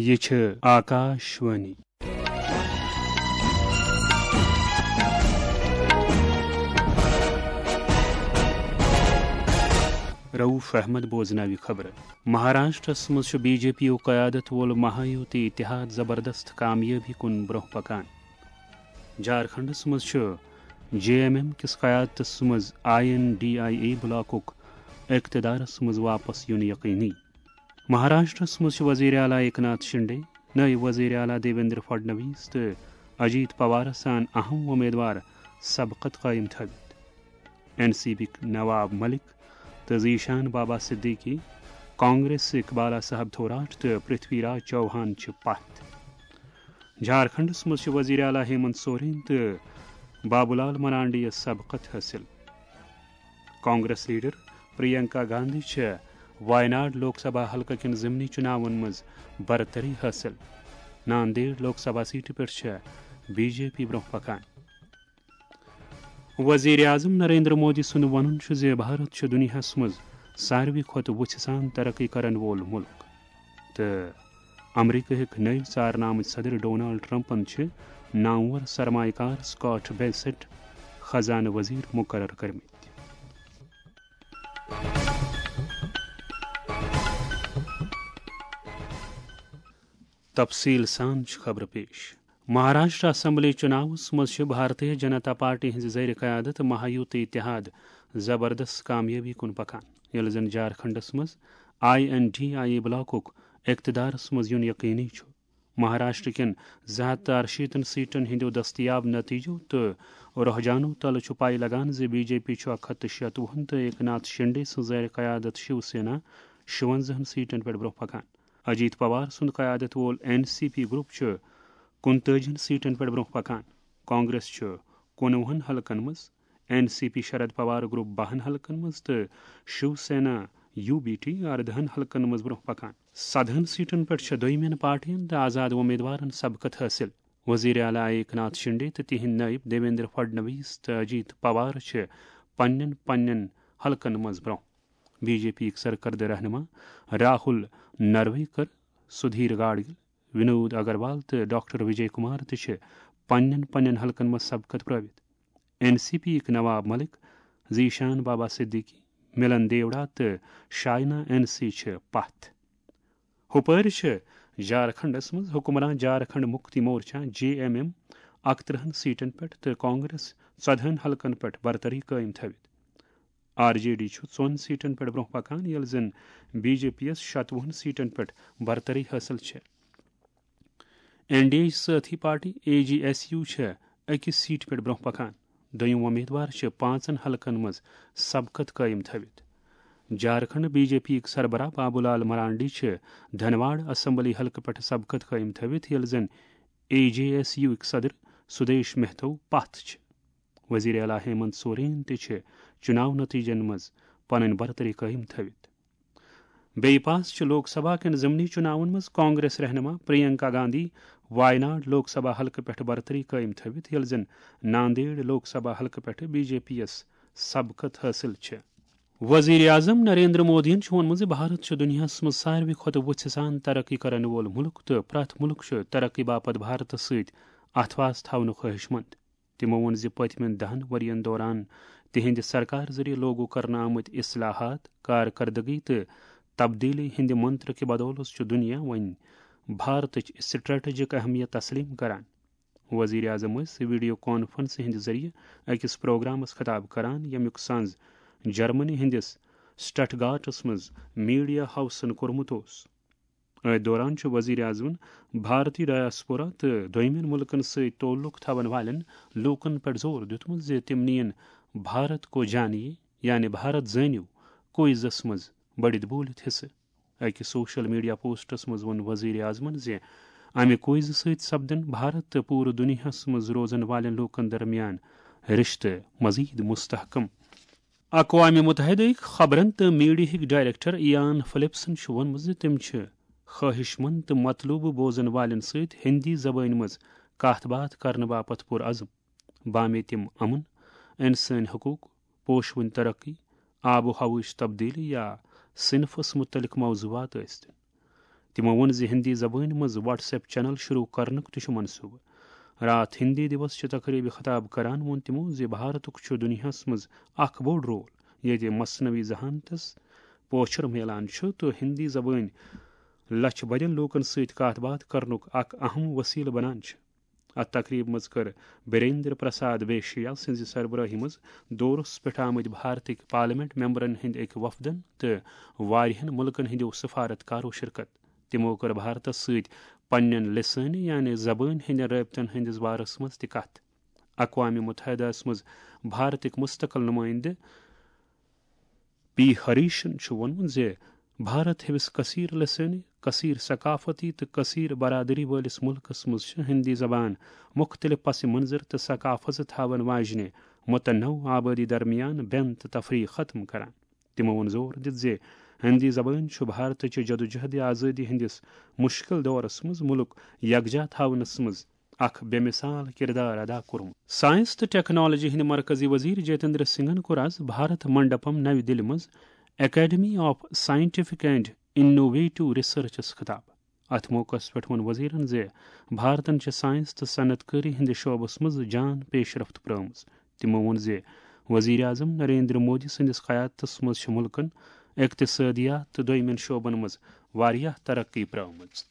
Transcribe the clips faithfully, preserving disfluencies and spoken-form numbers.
یہِ چھِ آکاش وانی۔ رؤف احمد بوزناوِ خبرٕ۔ مہاراشٹرس منٛز چھُ بی جے پی یُک قیادت وول مہایوتی اتحاد زبردست کامیٲبی کُن برٛونٛہہ پکان۔ جھارکھنڈس منٛز چھُ جے ایم ایم کِس قیادتس منٛز I N D I A بلاکُک اقتدارس منٛز واپس یُن یقینی۔ مہاراشٹرس منٛز چھِ وزیر اعلیٰ ایکناتھ شنڈے، نٲیِب وزیر اعلیٰ دیویندر فڈنویس تہٕ اجیت پوارس سان اہم وۄمیدوار سبقت قٲیِم تھٲوِتھ۔ این سی پی یِک نواب ملک تہٕ ذیشان بابا صدیقی، کانگریس اقبالا صاحب تھوراٹ تہٕ پرتھوی راج چوہان چھِ پتھ۔ جھارکھنڈس منٛز چھِ وزیر اعلیٰ ہیمنت سورین تہٕ بابو لال مرانڈی یَس سبقت حٲصِل۔ کانگریس لیڈر پرینکا گاندھی چھےٚ وایناڈ لوک سبھا حلقہٕ کٮ۪ن ضمنی چُناون منٛز برتری حٲصِل۔ ناندیڑ لوک سبھا سیٹہِ پٮ۪ٹھ چھےٚ بی جے پی برٛونٛہہ پکان۔ وزیر اعظم نریندر مودی سُنٛد وَنُن چھُ زِ بھارت چھُ دُنیاہَس منٛز ساروی کھۄتہٕ وُژھِ سان ترقی کرن وول مُلک تہٕ امریکہٕکۍ نٔوۍ ژارنہٕ آمٕتۍ صدر ڈونلڈ ٹرمپن چھِ نامور سرمایہ کار سکاٹ بیسٹ خزانہٕ وزیر مقرر کٔرمٕتۍ۔ تفصیل سان چھِ خبرٕ پیش۔ مہاراشٹر اسمبلی چُناوس منٛز چھِ بھارتیہ جنتا پارٹی ہٕنٛزِ زیر قیادت مہایوتی اتحاد زبردست کامیٲبی کُن پکان، ییٚلہِ زن جھارکھنڈس منٛز I N D I A بلاکُک اقتدارس منٛز یُن یقینی چھُ۔ مہاراشٹر کٮ۪ن زٕ ہتھ تہٕ ارشیٖتن سیٹن ہٕنٛدیو دستیاب نتیجو تہٕ رحجانو تلہٕ چھُ پاے لگان زِ بی جے پی چھُ اکھ ہتھ تہٕ شیٚتوُہن تہٕ ایکناتھ شنڈے سٕنٛز زیر قیادت شیو سینا شُونزاہن سیٹن پٮ۪ٹھ برٛونٛہہ پکان۔ اجیت پوار سُنٛد قیادت وول این سی پی گروپ چھُ کُنتٲجِہن سیٹن پٮ۪ٹھ برٛونٛہہ پکان۔ کانگریس چھُ کُنوُہن حلقن منٛز، N C P Sharad Pawar group باہن حلقن منٛز تہٕ Shiv Sena U B T اردہن حلقن منٛز برٛونٛہہ پکان۔ سدہن سیٹن پٮ۪ٹھ چھےٚ دوٚیمٮ۪ن پارٹین تہٕ آزاد وۄمیدوارن سبقت حٲصِل۔ وزیر اعلیٰ ایکناتھ شنڈے تہٕ تِہنٛدۍ نٲیِب دیویندر فڈنویس تہٕ اجیت پوار چھِ پننٮ۪ن پننٮ۪ن حلقن منٛز برٛونٛہہ۔ بی جے پی یِک سرکردٕ رہنما راہل نرویکر، سدھیر گاڈگل، ونود اگروال تہٕ ڈاکٹر وجے کمار تہِ چھِ پننٮ۪ن پننٮ۪ن حلقن منٛز سبقت پرٲوِتھ۔ این سی پی یِک نواب ملک، ذیشان بابا صدیقی، ملن دیوڑا تہٕ شاینا این سی چھِ پتھ۔ ہُپٲرۍ چھِ جھارکھنڈس منٛز حکمران Jharkhand Mukti Morcha, J M M, اکترٕہن سیٹن پٮ۪ٹھ تہٕ کانگریس ژۄدہن حلقن پٮ۪ٹھ برتری قٲیِم تھٲوِتھ۔ آر جے ڈی چھُ ژۄن سیٹن پٮ۪ٹھ برٛونٛہہ پکان، ییٚلہِ زن بی جے پی یَس شتوُہن سیٹن پٮ۪ٹھ برتری حٲصِل چھےٚ۔ این ڈی اے سٲتھی party A J S U چھےٚ أکِس سیٹہِ پٮ۪ٹھ برٛونٛہہ پکان۔ دوٚیِم وۄمیدوار چھِ پانٛژن حلقن منٛز سبقت قٲیِم تھٲوِتھ۔ جھارکھنڈ بی جے پی یِک سربراہ بابو لال مرانڈی چھِ دھنواڑ اسمبلی حلقہٕ پٮ۪ٹھ سبقت قٲیِم تھٲوِتھ، ییٚلہِ زن اے جے ایس یو یِک صدر سدیش مہتو پتھ چھِ۔ وزیر اعلیٰ ہیمنت سورین تہِ چھِ چُناو نتیجن منٛز پنٕنۍ برتری قٲیِم تھٲوِتھ۔ بیٚیہِ پاس چھِ لوک سبھا کٮ۪ن ضمنی چُناون منٛز کانگریس رہنما پرینکا گاندھی وایناڈ لوک سبھا حلقہٕ پٮ۪ٹھ برتری قٲیِم تھٲوِتھ، ییٚلہِ زن ناندیڑ لوک سبھا حلقہٕ پٮ۪ٹھ بی جے پی یَس سبقت حٲصِل چھِ۔ وزیر اعظم نریندر مودیَن چھُ ووٚنمُت زِ بھارت چھُ دُنیاہَس منٛز ساروی کھۄتہٕ وُژھِ سان ترقی کرن وول مُلک تہٕ پرٛٮ۪تھ مُلک چھُ ترقی باپتھ بھارتس سۭتۍ اتھواس تھاونُک خٲہِشمند۔ تِمو ووٚن زِ پٔتمٮ۪ن دَہَن ؤرۍ یَن دوران تِہنٛدِ سرکار ذٔریعہٕ لاگو کرنہٕ آمٕتۍ اصلاحات، کارکردگی تہٕ تبدیٖلی ہٕنٛدِ منتر کہِ بدولہٕ چھُ دُنیا وۄنۍ بھارتٕچ اسٹریٹجک اہمیت تسلیم کران۔ وزیر اعظم ٲسۍ ویڈیو کانفرنسہِ ہٕنٛدِ ذٔریعہٕ أکِس پروگرامَس خطاب کران، ییٚمیُک سنز جرمنی ہٕنٛدِس سٹٹگارٹس منٛز میڈیا ہاؤسَن کوٚرمُت اوس۔ أتھۍ دوران چھُ وزیر اعظمَن بھارتی ڈایاسپورا تہٕ دوٚیمٮ۪ن مُلکَن سۭتۍ تعلق تھاوَن والٮ۪ن لوٗکَن پٮ۪ٹھ زور دیُتمُت زِ تِم نِیِن بھارت کو جانیے، یعنی بھارت زٲنِو، کوئزَس منٛز بٔڑِتھ بوٗلِتھ حصہٕ۔ أکِس سوشل میڈیا پوسٹَس منٛز ووٚن وزیر اعظمَن زِ اَمہِ کوئزٕ سۭتۍ سپدَن بھارت تہٕ پوٗرٕ دُنیاہَس منٛز روزَن والٮ۪ن لوٗکَن درمیان رشتہٕ مزید مستحکم۔ اقوام متحدہٕکۍ خبرن تہٕ میڈیاہٕکۍ ڈائریکٹر ایان فلپسن چھُ ووٚنمُت زِ تِم چھِ خواہش مند تہٕ مطلوبہٕ بوزن والٮ۪ن سۭتۍ ہندی زبٲنۍ منٛز کتھ باتھ کرنہٕ باپتھ پُرعزم۔ بامے تِم امن، انسٲنۍ حقوق، پوشوٕنۍ ترقی، آب و ہوہٕچ تبدیلی یا صنفس متعلق موضوعات ٲسۍتن۔ تِمو ووٚن زِ ہِندی زبٲنۍ منٛز WhatsApp channel شروع کرنُک تہِ چھُ منصوٗبہٕ۔ راتھ ہِندی دیوس چہِ تقریبہِ خطاب کران ووٚن تِمو زِ بھارتُک چھُ دُنیاہَس منٛز اکھ بوٚڑ رول، ییٚتہِ مصنوعی ذہانتس پوچھر میلان چھُ تہٕ ہِندی زبٲنۍ لچھ بٔدٮ۪ن لوٗکن سۭتۍ کتھ باتھ کرنُک اکھ اہم وسیلہٕ بنان چھِ۔ اتھ تقریبہِ منٛز کٔر بیریندر پرساد بیشیا سٕنٛزِ سربرٲہی منٛز دورس پٮ۪ٹھ آمٕتۍ بھارتٕکۍ پارلیمنٹ ممبرن ہٕنٛدۍ أکۍ وفدن تہٕ واریاہن مُلکن ہٕنٛدیو سفارتکارو شرکت۔ تِمو کٔر بھارتس سۭتۍ پننٮ۪ن لسٲنی یعنی زبٲنۍ ہٕنٛدٮ۪ن رٲبطن ہٕنٛدِس بارس منٛز تہِ کتھ۔ اقوام متحدہس منٛز بھارتٕکۍ مستقل نُمٲیندٕ پی ہریشن چھُ ووٚنمُت زِ بھارت ہِوِس کثیر لسٲنی، کثیر ثقافتی تہٕ کثیر برادری وٲلِس مُلکس منٛز چھِ ہِندی زبان مُختٔلِف پس منظر تہٕ ثقافژٕ تھاون واجنہِ متنوع آبٲدی درمیان بین تہٕ تفریق ختم کران۔ تِمو ووٚن زور دِتھ زِ ہِندی زبٲنۍ چھُ بھارتٕچہِ جدوجہد آزٲدی ہٕنٛدِس مُشکِل دورس منٛز مُلک یکجا تھاونس منٛز اکھ بے مثال کردار ادا کوٚرمُت۔ ساینس تہٕ ٹیکنالوجی ہٕنٛدۍ مرکزی وزیر جتیندر سنگھن کوٚر از بھارت منڈپم نَوِ دِلہِ منٛز Academy of Scientific and Innovative Researchس خطاب۔ اتھ موقعس پٮ۪ٹھ ووٚن وزیرن زِ بھارتن چھِ ساینس تہٕ صنعت کٲری ہٕنٛدِ شعبس منٛز جان پیش رفت پرٲومٕژ۔ تِمو ووٚن زِ وزیر اعظم نریندر مودی سٕنٛدِس قیادتس منٛز چھِ مُلکن اقتصٲدیات تہٕ دوٚیمٮ۪ن شعبن منٛز واریاہ ترقی پرٲومٕژ۔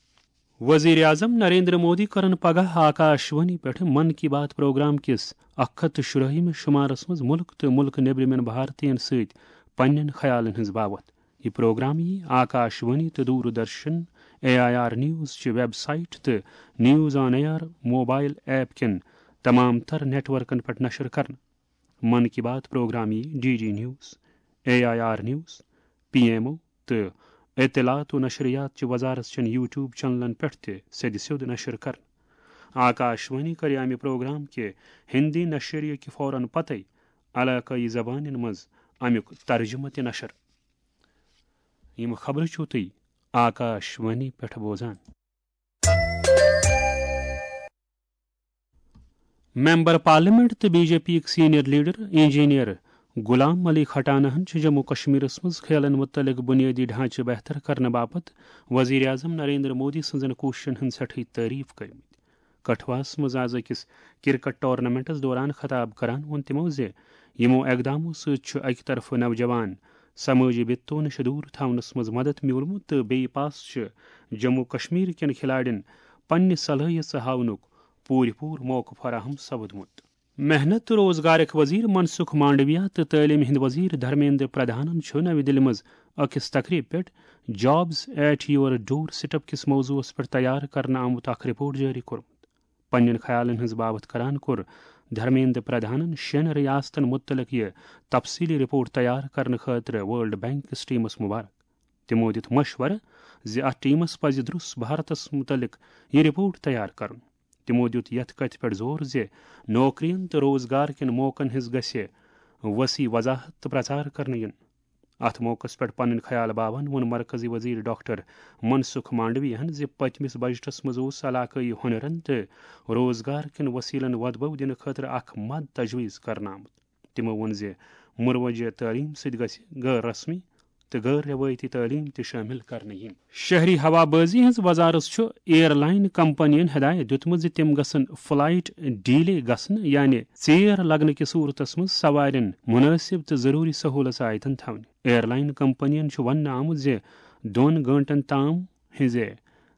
وزیر اعظم نریندر مودی کرن پگاہ آکاش وانی پٮ۪ٹھ من کی بات پروگرام کِس اکھ ہتھ تہٕ شُراہمِس شمارس منٛز مُلک تہٕ مُلک نیبرِمٮ۪ن بھارتین سۭتۍ پننٮ۪ن خیالن ہٕنٛز باوتھ۔ یہِ پروگرام یِیہِ آکاش وانی تہٕ Doordarshan, A I R news چہِ ویب سائٹ تہٕ news on air mobile app کٮ۪ن تمام تر نیٹ ورکن پٮ۪ٹھ نشر کرنہٕ۔ من کی بات پروگرام یِیہِ D D news, A I R news, P M O تہٕ اطلاعات و نشریات چہِ وزارت چٮ۪ن YouTube چینلن پٮ۪ٹھ تہِ سیٚدِ سیوٚد نشر کرنہٕ۔ آکاش وانی کرِ امہِ پروگرام کہِ ہندی نشریہِ کہِ فوراً پتے علاقٲیی زبانن منٛز امیُک ترجمہٕ تہِ نشر۔ یِم خبرٕ چھِو تُہۍ آکاش وانی پٮ۪ٹھ بوزان۔ ممبر پارلیمنٹ تہٕ بی جے پی یِک senior leader engineer Ghulam Ali کھٹانہن چھِ جموں کشمیرس منٛز کھیلن متعلق بنیٲدی ڈھانچہٕ بہتر کرنہٕ باپتھ وزیر اعظم نریندر مودی سٕنٛزن کوٗششن ہٕنٛز سٮ۪ٹھٕے تعریف کٔرمٕتۍ۔ کٹھواہس منٛز از أکِس کرکٹ ٹورنامنٹس دوران خطاب کران ووٚن تِمو زِ یِمو اقدامو سۭتۍ چھُ اکہِ طرفہٕ نوجوان سمٲجی بِتو نِش دوٗر تھاونس منٛز مدد میوٗلمُت تہٕ بیٚیہِ پاس چھِ جموں کشمیر کٮ۪ن کھلاڑٮ۪ن پننہِ صلٲحیژٕ ہاونُک پوٗرٕ پوٗرٕ موقعہٕ فراہم سپدمُت۔ محنت تہٕ روزگارٕکۍ وزیر منسکھ مانڈویا تہٕ تعلیٖم ہٕنٛدۍ وزیر دھرمیندر پردھانن چھُ نَوِ دِلہِ منٛز أکِس تقریبہِ پٮ۪ٹھ Jobs at Your Doorstep کِس موضوعس پٮ۪ٹھ تیار کرنہٕ آمُت اکھ رپورٹ جٲری کوٚرمُت۔ پننٮ۪ن خیالن ہٕنٛز باوتھ کران کوٚر دھرمیندر پردھانن شٮ۪ن ریاستن مُتعلق یہِ تفصیٖلی رپورٹ تیار کرنہٕ خٲطرٕ ورلڈ بینک کِس ٹیمس مبارک۔ تِمو دِیُت مشورٕ زِ اتھ ٹیمس پزِ درُس بھارتس مُتعلق یہِ رپورٹ تیار کرُن۔ تِمو دِیُت یتھ کتھِ پٮ۪ٹھ زور زِ نوکرین تہٕ روزگار کٮ۪ن موقعن ہٕنٛز گژھِ وسیع وضاحت تہٕ پرچار کرنہٕ یُن۔ اتھ موقعس پٮ۪ٹھ پنٕنۍ خیال باوان ووٚن مرکزی وزیر ڈاکٹر منسکھ مانڈویہن زِ پٔتمِس بجٹس منٛز اوس علاقٲیی ہُنرن تہٕ روزگار کٮ۪ن وسیلن وۄدبو دِنہٕ خٲطرٕ اکھ مد تجویز کرنہٕ آمُت۔ تِمو ووٚن زِ مروجہ تعلیٖم سۭتۍ گژھِ غٲر رسمی تہٕ غٲر روایتی تعلیٖم تہِ شٲمِل کرنہٕ یِنۍ۔ شہری ہوا بازی ہٕنٛز وزارت چھُ ایئر لائن کمپنین ہدایت دِیُتمُت زِ تِم گژھن فلائٹ ڈیلے گژھنہٕ یعنی ژیر لگنہٕ کِس صورتس منٛز سوارٮ۪ن مناسب تہٕ ضروری سہولت آیتن تھاونہِ۔ ایئر لائن کمپنین چھُ وننہٕ آمُت زِ دۄن گٲنٹن تام ہٕنٛزِ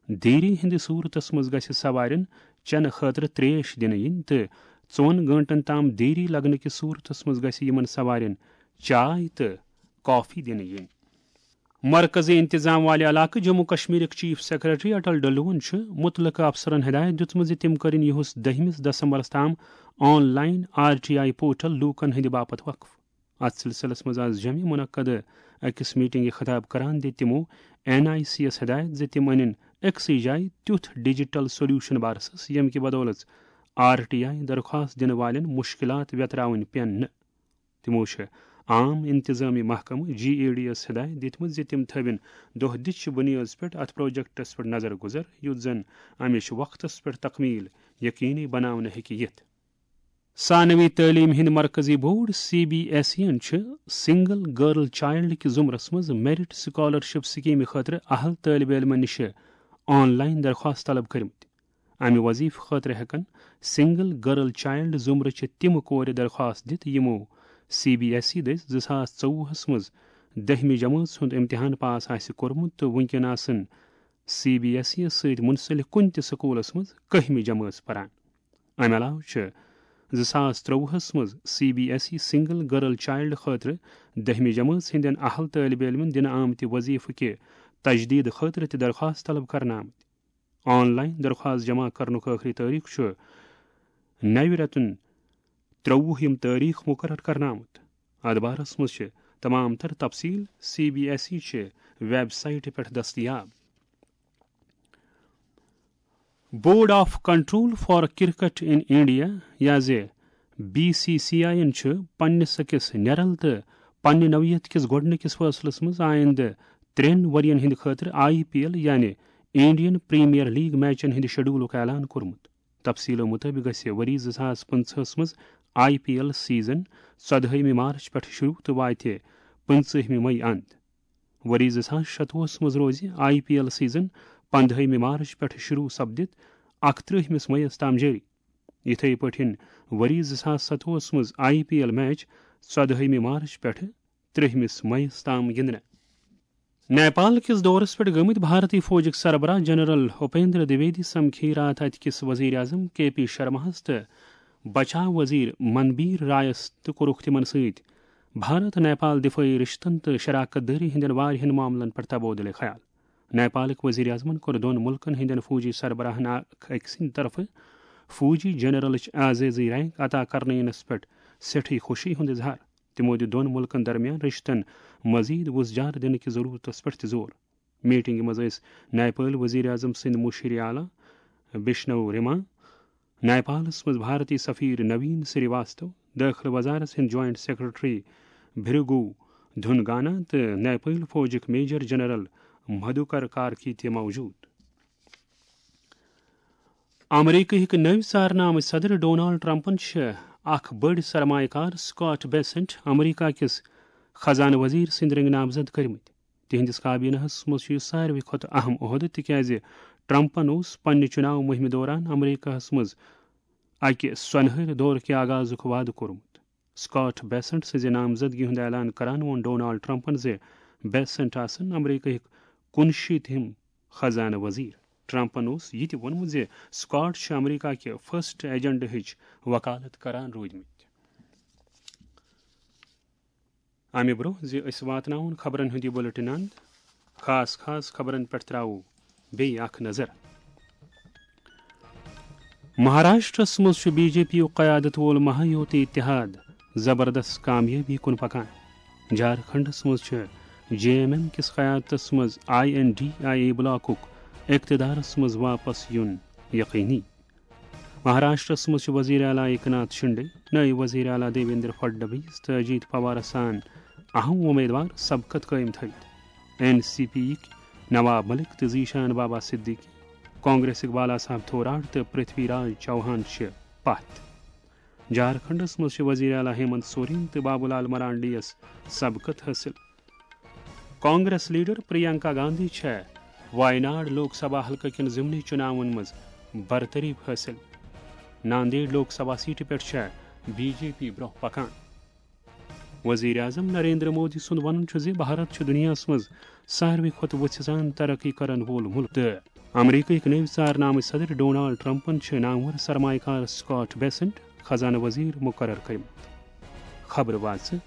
دیری ہٕنٛدِ صورتس منٛز گژھِ سوارٮ۪ن چنہٕ خٲطرٕ تریش دِنہٕ یِنۍ تہٕ ژۄن گٲنٹن تام دیری لگنہٕ کِس صورتس منٛز گژھِ یِمن سوارٮ۪ن چاے تہٕ کافی دِنہٕ یِنۍ۔ مرکزی انتظام والہِ علاقہٕ جموں کشمیرٕکۍ چیف سیکرٹری اٹل ڈلون چھُ مُتعلقہٕ افسرن ہدایت دِژمٕژ زِ تِم کٔرِن یِہُس دٔہمِس دسمبرس تام online R T I portal لوٗکن ہٕنٛدِ باپتھ وقف۔ اتھ سلسلس منٛز آز جمعہ منعقد أکِس میٹنگہِ خطاب کران دِتۍ تِمو این آئی سی یَس ہدایت زِ تِم انن أکسٕے جایہِ تیُتھ ڈیجیٹل سولوشن بارسس، ییٚمہِ کہِ بدولژ آر ٹی آئی درخواست دِنہٕ والٮ۪ن مُشکِلات ویتراوٕنۍ پٮ۪ن نہٕ۔ تِمو چھِ عام انتظامی محکمہٕ جی اے ڈی یَس ہدایت دِتمٕژ زِ تِم تھٲوِن دۄہ دِچہِ بُنیٲدس پٮ۪ٹھ اتھ پروجیکٹس پٮ۪ٹھ نظر گُزر، یُتھ زن امِچ وقتس پٮ۪ٹھ تکمیل یقینی بناونہٕ ہیٚکہِ یِتھ۔ ثانوی تعلیٖم ہٕنٛدۍ مرکزی board C B S E یَن چھِ سنگل گرل چائلڈ کِس زمرس منٛز میرٹ سکالرشپ سکیمہِ خٲطرٕ اہل طٲلبہِ علمَن نِش آن لائن درخواست طلب کٔرمٕتۍ۔ امہِ وظیفہٕ خٲطرٕ ہٮ۪کن سنگل گرل چائلڈ زمرٕ چہِ تِم کورِ درخواست دِتھ، یِمو سی بی ایس ای دٔسۍ زٕ ساس ژوٚوُہس منٛز دٔہمہِ جمٲژ ہُنٛد امتحان پاس آسہِ کوٚرمُت تہٕ وُنکٮ۪ن آسن سی بی ایس ای یَس سۭتۍ منسلک کُنہِ تہِ سکوٗلس منٛز کٔہمہِ جمٲژ پران۔ امہِ علاوٕ چھِ زٕ ساس ترٛۆوُہس منٛز C B S E single girl child خٲطرٕ دٔہمہِ جمٲژ ہٕنٛدٮ۪ن اہل طٲلبہِ علمن دِنہٕ آمتہِ وظیفہٕ کہِ تجدید خٲطرٕ تہِ درخواست طلب کرنہٕ آمٕتۍ۔ آن لائن درخواست جمع کرنُک ٲخری تٲریخ چھُ نَوِ رٮ۪تُن ترٛۆوُہ یِم تٲریخ مقرر کرنہٕ آمُت۔ اتھ بارس منٛز چھِ تمام تر تفصیل سی بی ایس ای چہِ ویب سائٹہِ پٮ۪ٹھ دٔستیاب۔ Board of control for cricket in India, یا زِ بی سی سی آئی یَن چھُ پننِس أکِس نِرَل تہٕ پننہِ نوعیت کِس گۄڈٕنِکِس فٲصلَس منٛز آیندٕ ترٛٮ۪ن ؤرۍ یَن ہٕنٛدِ خٲطرٕ آئی پی ایل، یعنی انڈین پریمیئر لیگ میچَن ہٕنٛدِ شیڈولُک اعلان کوٚرمُت۔ تفصیلو مُطٲبِق گژھِ ؤری زٕ ساس پٕنٛژٕہَس منٛز آئی پی ایل سیزن ژۄدہٲیمہِ مارچ پٮ۪ٹھ شروع تہٕ واتہِ پٕنٛژٕہمہِ مئی اند۔ ؤری زٕ ساس شتوُہَس منٛز روزِ آئی پی ایل سیزن پندہٲیمہِ مارچ پٮ۪ٹھ شروع سپدِتھ اکترٕہمِس مئیس تام جٲری۔ یِتھے پٲٹھۍ ؤری زٕ ساس ستوُہَس منٛز آئی پی ایل میچ ژۄدہٲیمہِ مارچ پٮ۪ٹھ ترٛہمِس مئیس تام گِنٛدنہٕ۔ نیپال کِس دورس پٮ۪ٹھ گٔمٕتۍ بھارتی فوجٕکۍ سربراہ جنرل اپیندر دویدی سمکھی راتھ اتہِ کِس وزیر اعظم کے پی شرماہس تہٕ بچاو وزیر منبیر رایس تہٕ کوٚرُکھ تِمن سۭتۍ بھارت نیپال دفٲعی رشتن تہٕ شراکت دٲری ہٕنٛدٮ۪ن واریاہن معاملن پٮ۪ٹھ تبادلہٕ خیال۔ نیپالٕکۍ وزیر اعظمن کوٚر دۄن مُلکن ہٕنٛدٮ۪ن فوجی سربراہن اکھ أکۍ سٕنٛدِ طرفہٕ فوجی جنرلٕچ اعزازی رینک عطا کرنہٕ یِنس پٮ۪ٹھ سٮ۪ٹھٕے خوشی ہُنٛد اظہار۔ تِمو دِیُت دۄن مُلکن درمیان رِشتن مزید وُژھ جار دِنہٕ کِس ضروٗرتس پٮ۪ٹھ تہِ زور۔ میٹنگہِ منٛز ٲسۍ نیپٲلۍ وزیر اعظم سٕنٛدۍ مُشیر اعلیٰ بشنو رِما، نیپالس منٛز بھارتی سفیر نوین سری واستو، دٲخلہٕ وزارت ہٕنٛدۍ جوائنٹ سیکرٹری بھرگو دھنگانا تہٕ نیپٲلۍ فوجٕکۍ میجر جنرل مدھوکر کارکی تہِ موجود۔ امریکہٕکۍ نٔوۍ ژارنہٕ آمٕتۍ صدر ڈونالڈ ٹرمپن چھِ اکھ بٔڑ سرمایہ کار سکاٹ بیسنٹ امریکہ کِس خزانہٕ وزیر سٕنٛدۍ رٔنگۍ نامزد کٔرمٕتۍ۔ تِہنٛدِس کابینہس منٛز چھُ یہِ ساروی کھۄتہٕ اہم عہدٕ، تِکیازِ ٹرمپن اوس پننہِ چُناو مُہِمہِ دوران امریکہس منٛز اکہِ سۄنہٕرۍ دورٕ کہِ آغازُک وعدٕ کوٚرمُت۔ سکاٹ بیسنٹ سٕنٛزِ نامزدگی ہُنٛد اعلان کران ووٚن ڈونالڈ ٹرمپن زِ بیسنٹ آسن امریکہٕکۍ کُنشیٖتِم خزانہٕ وزیر۔ ٹرمپن اوس یہِ تہِ ووٚنمُت زِ سکاٹ چھِ امریکہ کہِ فرسٹ ایجنڈہٕچ وکالت کران روٗدمٕتۍ۔ امہِ برونٛہہ زِ أسۍ واتناوون خبرن ہُنٛد یہِ بُلٹن اند، خاص خاص خبرن پٮ۪ٹھ تراوو بیٚیہِ اکھ نظر۔ مہاراشٹرس منٛز چھُ بی جے پی یُک قیادت وول مہایوتی اتحاد زبردست کامیٲبی کُن پکان۔ جھارکھنڈس منٛز چھُ جے ایم ایم کِس قیادتس منٛز I N D I A بلاکُک اقتدارس منٛز واپس یُن یقینی۔ مہاراشٹرس منٛز چھُ وزیر اعلیٰ ایکناتھ شنڈے، نٲیِب وزیر اعلیٰ دیویندر فڈنویس تہٕ اجیت پوارس سان اہم امیدوار سبقت قٲیِم تھٲوِتھ۔ این سی پی یِکۍ نواب ملک تہٕ ذیشان بابا صدیقی، کانگریسٕکۍ بالا صاحب تھوراٹ تہٕ پرتھوی راج چوہان چھِ پتھ۔ جھارکھنڈس منٛز چھِ وزیر اعلیٰ ہیمنت سورین تہٕ بابو لال مرانڈیَس سبقت حٲصِل۔ کانگریس لیڈر پرینکا گاندھی چھےٚ وایناڈ لوک سبھا حلقہٕ کٮ۪ن ضمنی چُناون منٛز برتری حٲصِل۔ ناندیڑ لوک سبھا سیٹہِ پٮ۪ٹھ چھےٚ بی جے پی برونٛہہ پکان۔ وزیر اعظم نریندر مودی سُنٛد وَنُن چھُ زِ بھارت چھُ دُنیاہَس منٛز ساروی کھۄتہٕ وُژھِ سان ترقی کرن وول مُلک تہٕ امریکہٕکۍ نٔوۍ ژارنہٕ آمٕتۍ صدر ڈونالڈ ٹرمپن چھِ نامور سرمایہ کار سکاٹ بیسنٹ خزانہٕ وزیر مقرر کٔرمٕتۍ۔ خبرٕ واژٕ